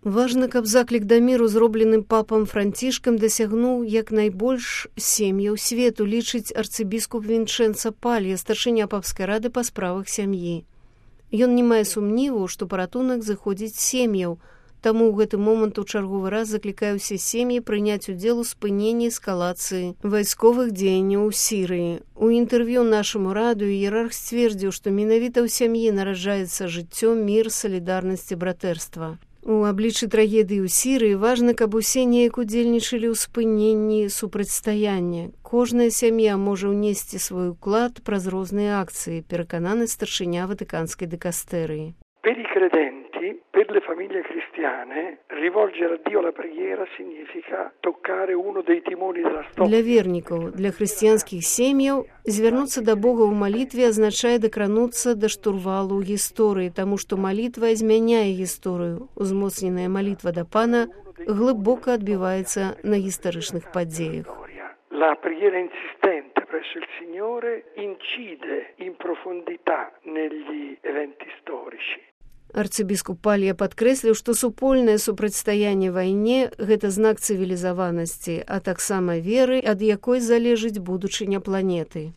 Важна, каб заклік да міру, зробленым папам Францішкам, дасягнуў як найбольш сем'яў свету, лічыць арцыбіскуп Вінчэнца Палья, старшыня папскай рады па справах сям'і. Ён не мае сумніву, што паратунак зыходзіць з сем'яў, таму ў гэты момант у чарговы раз заклікае ўсе сем'і прыняць удзел у спыненні эскалацыі вайсковых дзеянняў у Сірыі. У інтэрв'ю нашаму радыё іерарх сцвердзіў, што менавіта ў сям'і нараджаецца жыццё, мір, салідарнасць і братэрства. У абліччы трагедыі ў Сірыі важна, каб усе неяк удзельнічалі ў спыненні супрацьстаяння. Кожная сям'я можа ўнесці свой уклад праз розныя акцыі, перакананы старшыня Ватыканскай дыкастэрыі. Per i credenti, per le famiglie cristiane, rivolgere a Dio la preghiera significa toccare uno dei timoni della storia. Для вернікаў, для хрысціянскіх сем'яў, звярнуцца да Бога ў малітве азначае дакрануцца да штурвалу гісторыі, таму што малітва змяняе гісторыю. Узмоцненая малітва да Пана глыбока адбіваецца на гістарычных падзеях. La preghiera insistente presso il Signore incide in profondità negli eventi storici. Арцыбіскуп Палья падкрэсліў, што супольнае супрацьстаянне вайне – гэта знак цывілізаванасці, а таксама веры, ад якой залежыць будучыня планеты.